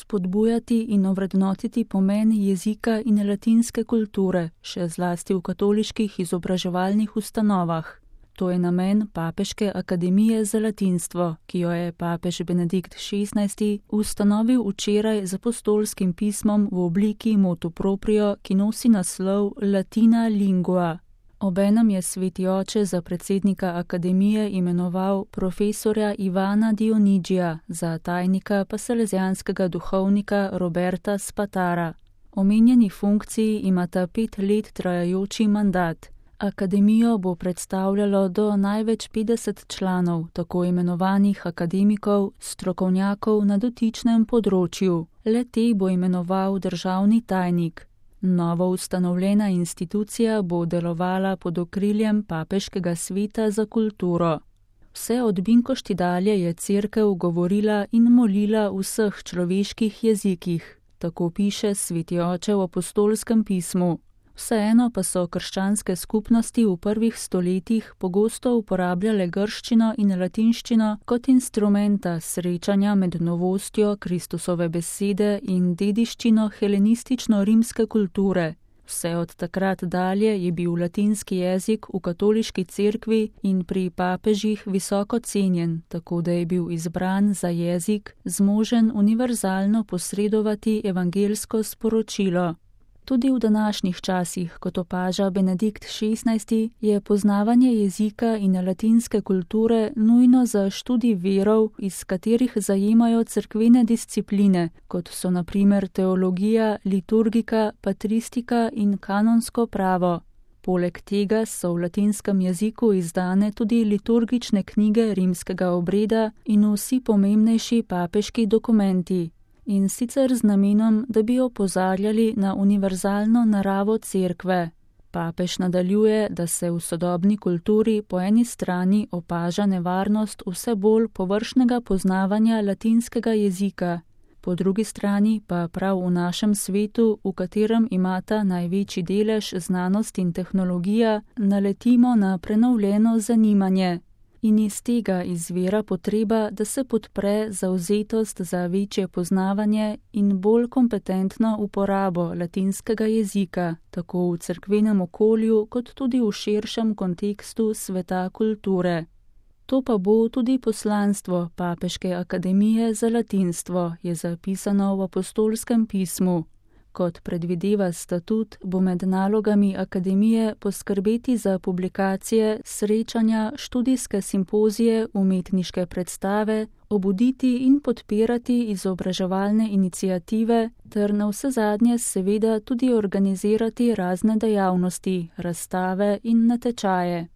spodbujati in ovrednotiti pomen jezika in latinske kulture, še zlasti v katoliških izobraževalnih ustanovah. To je namen Papeške akademije za latinstvo, ki jo je papež Benedikt XVI ustanovil včeraj z apostolskim pismom v obliki motu proprio, ki nosi naslov Latina lingua. Obenem je sveti oče za predsednika akademije imenoval profesorja Ivana Dionigija, za tajnika pa salezijanskega duhovnika Roberta Spatara. Omenjeni funkciji imata 5 let trajajoči mandat. Akademijo bo predstavljalo do največ 50 članov, tako imenovanih akademikov, strokovnjakov na dotičnem področju. Le-te bo imenoval državni tajnik. Novo ustanovljena institucija bo delovala pod okriljem Papeškega sveta za kulturo. Vse od Binkošti dalje je cerkev govorila in molila v vseh človeških jezikih, tako piše sveti oče v apostolskem pismu. Vseeno pa so krščanske skupnosti v prvih stoletjih pogosto uporabljale grščino in latinščino kot instrumenta srečanja med novostjo Kristusove besede in dediščino helenistično-rimske kulture. Vse od takrat dalje je bil latinski jezik v katoliški cerkvi in pri papežih visoko cenjen, tako da je bil izbran za jezik, zmožen univerzalno posredovati evangelsko sporočilo. Tudi v današnjih časih, kot opaža Benedikt XVI, je poznavanje jezika in latinske kulture nujno za študij verov, iz katerih zajemajo cerkvene discipline, kot so na primer teologija, liturgika, patristika in kanonsko pravo. Poleg tega so v latinskem jeziku izdane tudi liturgične knjige rimskega obreda in vsi pomembnejši papeški dokumenti. In sicer z namenom, da bi opozarjali na univerzalno naravo cerkve. Papež nadaljuje, da se v sodobni kulturi po eni strani opaža nevarnost vse bolj površnega poznavanja latinskega jezika, po drugi strani pa prav v našem svetu, v katerem imata največji delež znanost in tehnologija, naletimo na prenovljeno zanimanje. In iz tega izvira potreba, da se podpre zavzetost za večje poznavanje in bolj kompetentno uporabo latinskega jezika, tako v cerkvenem okolju, kot tudi v širšem kontekstu sveta kulture. To pa bo tudi poslanstvo Papeške akademije za latinstvo, je zapisano v apostolskem pismu. Kot predvideva statut, bo med nalogami akademije poskrbeti za publikacije, srečanja, študijske simpozije, umetniške predstave, obuditi in podpirati izobraževalne iniciative ter navsezadnje seveda tudi organizirati razne dejavnosti, razstave in natečaje.